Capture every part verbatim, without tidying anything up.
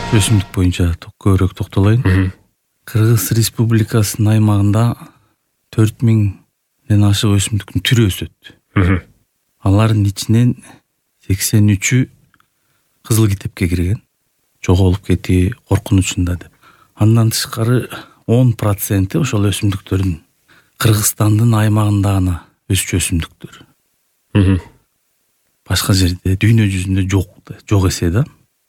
өсүмдүк боюнча көбүрөөк токтолоюн. Кыргыз Республикасынын аймагында төрт миңден ашык өсүмдүктүн түрү өсөт. Алардын ичинен сексен үчү кызыл китепке кирген, жоголуп кетүү коркунучунда деп. Андан тышкары он проценти ошол өсүмдүктөрдүн Кыргызстандын аймагында гана өсчү өсүмдүктөр. Башка жерде дүйнө жүзүндө жок, жок эсе да.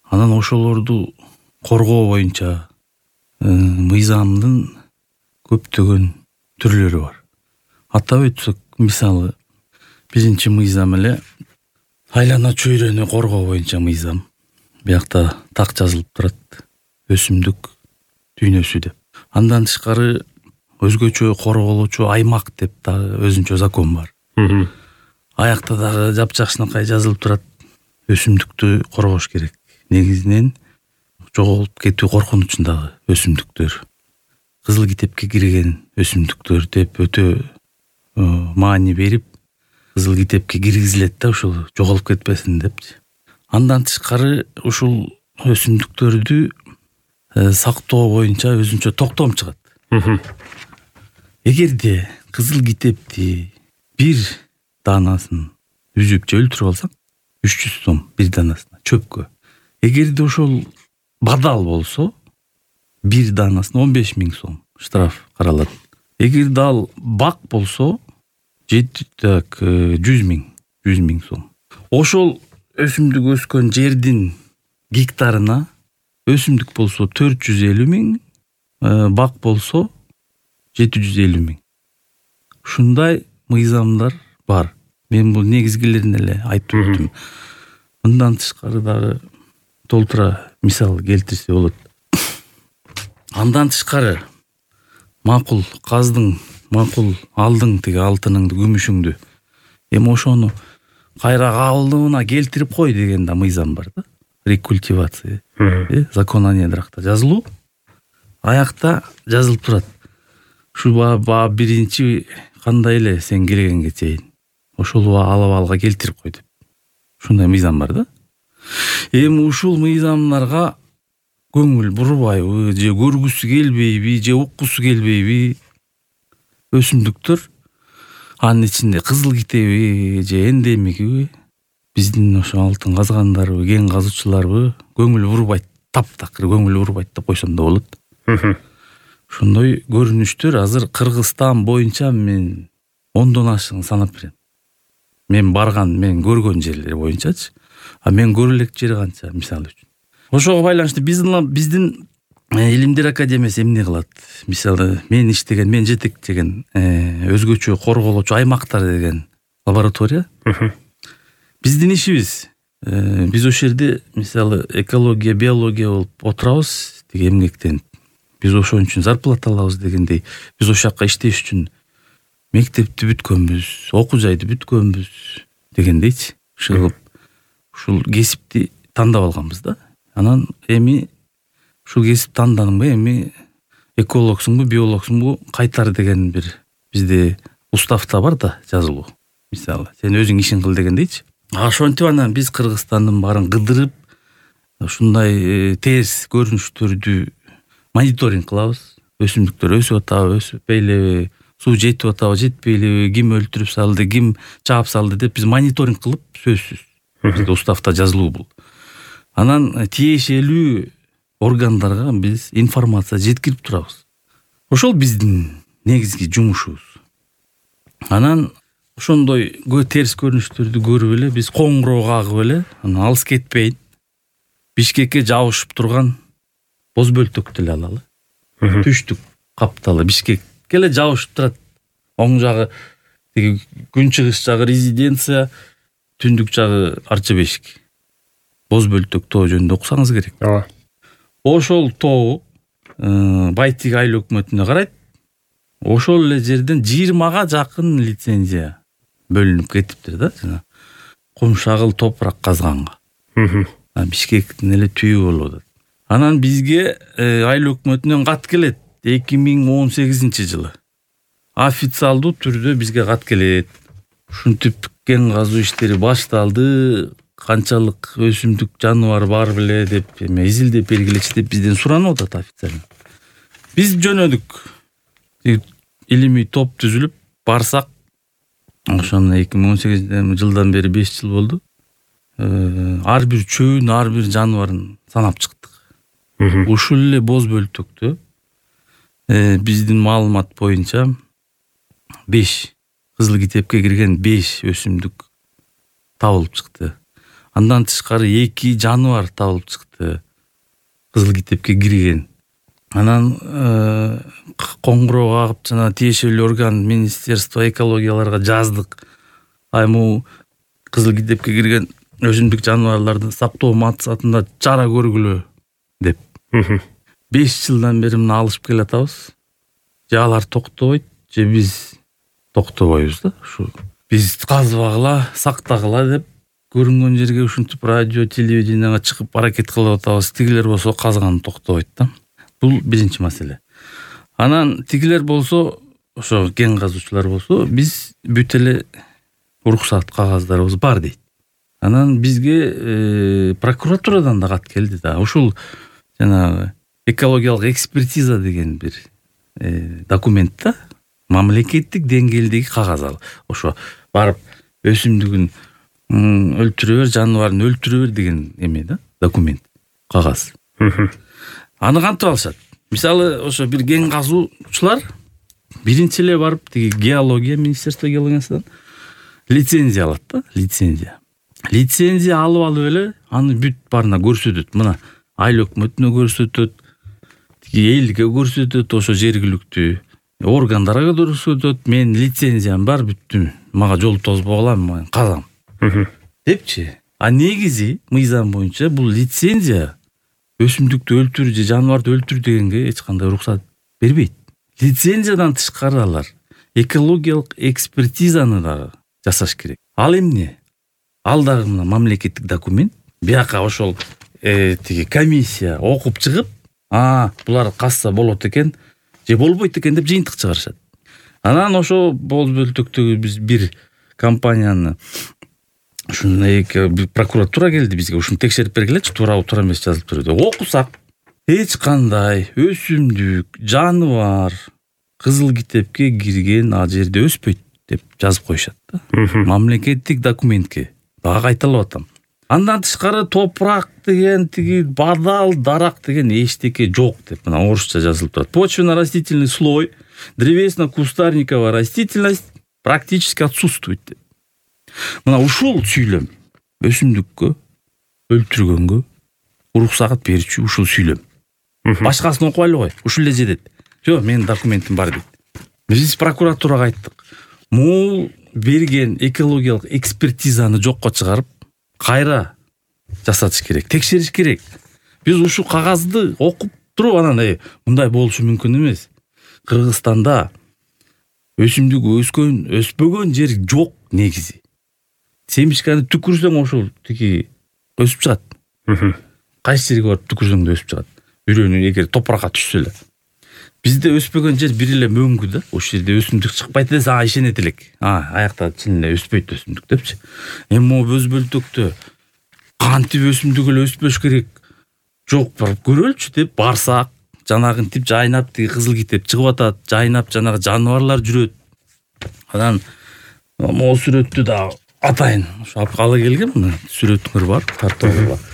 Анан ошолорду коргоо боюнча мыйзамдын көптөгөн түрлөрү бар. Атап өтсөк, мисалы, биринчи мыйзам эле айлана чөйрөнү коргоо боюнча мыйзам. Биякта так жазылып турат: өсүмдүк дүйнөсү деп. Андан тышкары өзгөчө корголочу аймак деп дагы өзүнчө закон бар. Аякта дагы жапжакшынакай жазылып турат: өсүмдүктү коргош керек. Негизинен жоголуп кетүү коркунучундагы өсүмдүктөр, кызыл китепке кирген өсүмдүктөр деп өтө маани берип, кызыл китепке киргизилет да, ошол жоголуп кетпесин депчи. Андан тышкары ушул өсүмдүктөрдү сактоо боюнча өзүнчө токтом чыгат. Эгерде кызыл китепти бир даанасын үзүп же өлтүрүп алсаң, үч жүз сом бир даанасына чөпкө. Эгерде ошол бадал болсо, бир даанасына он беш миң сом штраф каралат. Эгерде ал бак болсо, жети так жүз миң, жүз миң сом. Ошол өсүмдүк өскөн жердин гектарына өсүмдүк болсо төрт жүз элүү миң, бак болсо жети жүз элүү миң. Ушундай мыйзамдар бар. Мен бул негизгилерин эле айтып өттүм. Мындан тышкары дагы толтура мисал келтирсе болот. Андан тышкары макул каздың, макул алдың тиги алтыныңды, күмүшүңдү. Эми ошону кайра калыбына келтирип кой деген да мыйзам бар да. Рекультивация. Закон о недрахта жазылуу. Аякта жазылып турат: ушу ба биринчи кандай эле сен келгенге чейин ошол алабалга келтирип кой деп. Ушундай мыйзам бар да. Эми ушул мыйзамдарга көңүл бурбайбы, же көргүсү келбейби, же уккусу келбейби өсүмдүктөр, анын ичинде кызыл китеби же эндемиги, биздин ошо алтын казгандарбы, кен казуучуларбы көңүл бурбайт, таптакыр көңүл бурбайт деп койсом да болот. Ошондой көрүнүштөр азыр Кыргызстан боюнча мен ондон ашыгын санап берем. Мен барган, мен көргөн жерлер боюнчачы. А мен көрө элек жери канча, мисалы үчүн. Ошого байланыштуу биздин биздин Илимдер академиясы эмне кылат? Мисалы, мен иштеген, мен жетектеген өзгөчө корголочу аймактар деген лаборатория. Биздин ишибиз, биз ошол жерде мисалы экология, биология болуп отурабыз, тиги эмгектенип. Биз ошон үчүн зарплата алабыз дегендей, биз ошол жакка иштеш үчүн мектепти бүткөнбүз, окуу жайды бүткөнбүз дегендейчи. Ушул ушул кесипти тандап алганбыз да. Анан эми ушул кесип тандадыңбы, эми экологсуңбу, биологсуңбу, кайтар деген бир бизде уставта бар да жазылуу. Мисалы, сен өзүң ишин кыл дегендейчи. Ошентип анан биз Кыргызстандын баарын кыдырып, ушундай терс көрүнүштөрдү мониторинг кылабыз. Өсүмдүктөр өсүп атабы, өсүппейлеби, суу жетип атабы, жетпейлеби, ким өлтүрүп салды, ким чаап салды деп биз мониторинг кылып, сөзсүз. Бизде уставта жазылуу бул. Анан тиешелүү органдарга биз информация жеткирип турабыз. Ошол биздин негизги жумушубуз. Анан ошондой терс көрүнүштөрдү көрүп эле биз коңгуроо кагып эле, анан алыс кетпейин, Бишкекке жабышып турган боз бөлтөктү эле алалы. Түштүк капталы Бишкекке эле жабышып турат. Оң жагы тиги күнчыгыш жагы резиденция, түндүк жагы Арча бешик. Боз бөлтөк тоо жөнүндө окусаңыз керек. Ооба. Ошол тоо Байтик айыл өкмөтүнө карайт. Ошол эле жерден жыйырмага жакын лицензия бөлүнүп кетиптир да, жана кумшагыл топурак казганга. Бишкектин эле түбү болуп атат. Анан бизге айыл өкмөтүнөн кат келет эки миң он сегизинчи жылы. Официалдуу түрдө бизге кат келет. Ушинтип кен казуу иштери башталды, канчалык өсүмдүк жаныбар бар беле деп эме изилдеп бергилечи деп бизден суранып атат официально. Биз жөнөдүк. Илимий топ түзүлүп барсак, ошону эки миң он сегизинчи жылдан бери беш жыл болду. Ар бир чөбүн, ар бир жаныбарын санап чыктык. Ушул эле боз бөлтөктө биздин маалымат боюнча беш кызыл китепке кирген беш өсүмдүк табылып чыкты. Андан тышкары эки жаныбар табылып чыкты. Кызыл китепке кирген. Анан коңгуроо кагып жана тиешелүү орган Министерство экологияларга жаздык. Айму кызыл китепке кирген өсүмдүк жаныбарларды сактоо максатында чара көргүлө деп. беш жылдан бери мына алышып келатабыз. Же алар токтобойт, же биз токтобойбуз да. Ушу биз казбагыла, сактагыла деп көрүнгөн жерге ушинтип радио, телевиденияга чыгып аракет кылып атабыз. Тигилер болсо казганы токтобойт да. Бул биринчи маселе. Анан тигилер болсо, ошо кен казуучулар болсо, биз бүт эле уруксат кагаздарыбыз бар дейт. Анан бизге э, прокуратурадан да кат келди да. Ушул жана экологиялык экспертиза деген бир э, документ да. Мамлекеттик деңгээлдеги кагаз ал. Ошо барып өсүмдүгүн өлтүрө бер, жаныбарын өлтүрө бер деген эме да, документ, кагаз. Аны кантип алышат? Мисалы, ошо бир кен казуучулар биринчи эле барып тиги геология, Министерство геологиясынан лицензия алат да, лицензия. Лицензия алып алып эле аны бүт барына көрсөтөт. Мына айыл өкмөтүнө көрсөтөт, тиги элге көрсөтөт, ошо жергиликтүү органдарга көрсөтөт. Мен лицензиям бар, бүттүм. Мага жол тозбогула, мен казам. Депчи. А негизи мыйзам боюнча бул лицензия өсүмдүктү өлтүр же жаныбарды өлтүр дегенге эч кандай уруксат бербейт. Лицензиядан тышкары алар экологиялык экспертизаны да жасаш керек. Ал эмне? Ал дагы мына мамлекеттик документ. Бияка ошол э, тиги комиссия окуп чыгып, а булар касса болот экен, же болбойт экен деп жыйынтык чыгарышат. Анан ошо боз бөлтөктөгү биз бир компанияны ушундай прокуратура келди бизге, ушуну текшерип бергилечи, туурабы туура эмес жазылып турду. Окусак, эч кандай өсүмдүк, жаныбар кызыл китепке кирген ал жерде өспөйт деп жазып коюшат да. Мамлекеттик документке. Дагы кайталап атам. Андан тышкары топурак деген, тиги бадал, дарак деген эчтеке жок деп мына орусча жазылып турат. Почвенно-растительный слой, древесно-кустарниковая растительность практически отсутствует деп. Мына ушул сүйлөм өсүмдүккө өлтүргөнгө уруксат берүүчү ушул сүйлөм. Башкасын окубайлы кой, ушул эле жетет. Жок, менин документим бар дейт. Биз прокуратурага айттык. Могул берген экологиялык экспертизаны жокко чыгарып, кайра жасатыш керек, текшериш керек. Биз ушул кагазды окуп туруп анан э мындай болушу мүмкүн эмес. Кыргызстанда өсүмдүк өскөн, өспөгөн жер жок негизи. Семишканы түкүрсөң ошол тиги өсүп чыгат. Кайсы жерге барып түкүрсөң да өсүп чыгат. Бирөөнү эгер топуракка түшсө эле. Бизде өспөгөн жер бир эле мөңгү да. Ошол жерде өсүмдүк чыкпайт десе, а ишенет элек. А, аякта чын эле өспөйт өсүмдүк депчи. Эми могу боз бөлтөктө кантип өсүмдүк эле өспөш керек? Жок, барып көрөлчү деп барсак, жанагынтип жайнап тиги кызыл китеп чыгып атат, жайнап жанагы жаныбарлар жүрөт. Анан могу сүрөттү да атайын. Ошо алып келгем, мына сүрөтүңөр бар, тартып бар.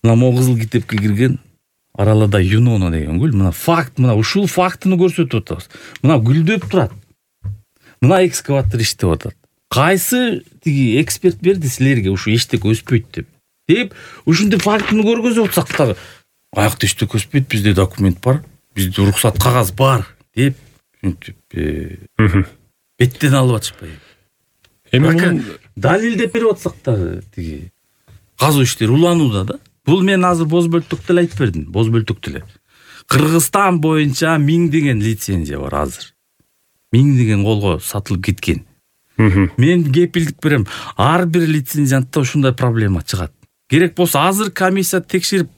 Мына могу кызыл китепке кирген Аралада Юнона деген гүл. Мына факт, мына ушул фактыны көрсөтүп атабыз. Мына гүлдөп турат. Мына экскаватор иштеп атат. Кайсы тиги эксперт берди силерге ушу эчтеке өспөйт деп? Деп, ушундай фактыны көргөзүп атсак дагы, аякта эчтеке өспөйт, бизде документ бар, бизде уруксат кагаз бар деп, ушинтип беттен алып атышпайбы? Эми далилдеп берип атсак дагы тиги казуу иштери уланууда да. Бул мен азыр боз бөлтөктө эле айтып бердим, боз бөлтөктө эле. Кыргызстан боюнча миңдеген лицензия бар азыр. Миңдеген колго сатылып кеткен. Мен кепилдик берем, ар бир лицензиянтта ушундай проблема чыгат. Керек болсо азыр комиссия текшерип,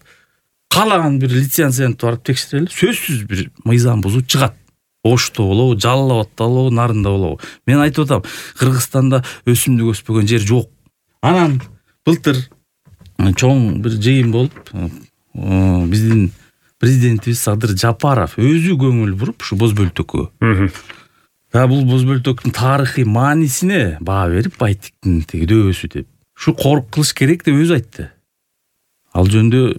каалаган бир лицензиянтты барып текшерели, сөзсүз бир мыйзам бузуу чыгат. Ошто болобу, Жалал абадта болобу, Нарында болобу. Мен айтып атам, Кыргызстанда өсүмдүк өспөгөн жер жок. Анан былтыр чоң бир жыйын болуп, биздин президентибиз Садыр Жапаров өзү көңүл буруп ушу боз бөлтөккө. Да бул боз бөлтөктүн тарыхый маанисине баа берип, Байтиктин тиги дөбөсү деп. Ушу корук кылыш керек деп өзү айтты. Ал жөндө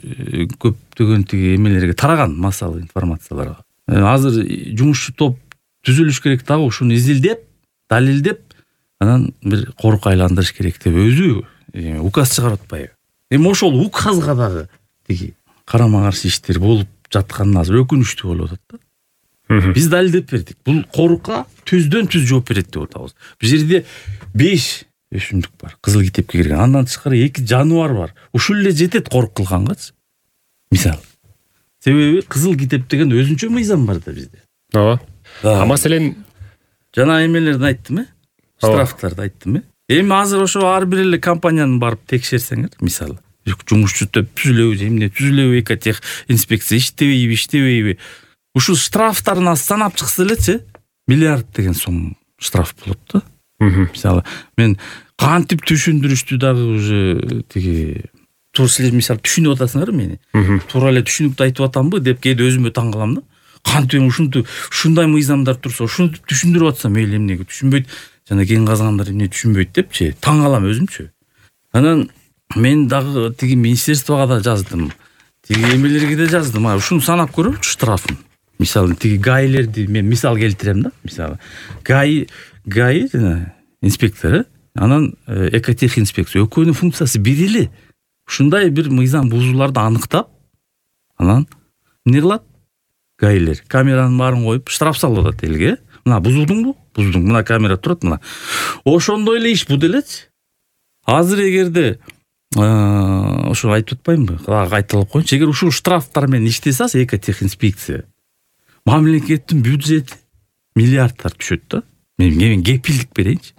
көптөгөн тиги эмелерге тараган массалык информацияларга. Азыр жумушчу топ түзүлүш керек дагы, ушуну изилдеп, далилдеп, анан бир корук айландырыш керек деп өзү указ чыгарып атпайбы. Эми ошол указга дагы тиги карама каршы иштер болуп жатканына азыр өкүнүчтүү болуп атат да. Биз далилдеп бердик. Бул корукка түздөн түз жооп берет деп атабыз. Бул жерде беш өсүмдүк бар, кызыл китепке кирген. Андан тышкары эки жаныбар бар. Ушул эле жетет корук кылгангачы. Мисалы. Себеби кызыл китеп деген өзүнчө мыйзам бар да бизде. Ооба. А маселен жана эмелерди айттым, э? Штрафтарды айттым, э? Эми азыр ошо ар бир эле компанияны барып текшерсеңер, мисалы, жумушчу топ түзүлөбү, эмне түзүлөбү, экотех инспекция иштебейби, иштебейби. Ушул штрафтарын санап чыкса элечи, миллиард деген сом штраф болот да. Мисалы, мен кантип түшүндүрүштү дагы уже тиги туура силер мисалы түшүнүп атасыңар мени. Туура эле түшүнүктүү айтып атамбы деп кээде өзүмө таң калам да. Кантип ушунтип ушундай мыйзамдар турса, ушуну түшүндүрүп атсам, мейли эмнеге түшүнбөйт, жана кен казгандар эмне түшүнбөйт депчи, таң калам өзүмчү. Анан мен дагы тиги министерствого да жаздым. Тиги эмелерге да жаздым. А ушуну санап көрөчү штрафын. Мисалы тиги гаилерди мен мисал келтирем да. Мисалы гаи гаи жана инспектор, анан экотех инспекция экөөнүн функциясы бир эле. Ушундай бир мыйзам бузууларды аныктап, анан эмне кылат? Гаилер камеранын баарын коюп штраф салып атат элге. Мына бузулдуңбу? Бузулдуң. Мына камера турат, мына. Ошондой эле иш бу делечи. Азыр эгерде ошо айтып атпаймынбы? Кайталап коеюнчу. Эгер ушул штрафтар менен иштесе, экотех инспекция, мамлекеттин бюджети миллиардтар түшөт да. Мен кепилдик берейинчи.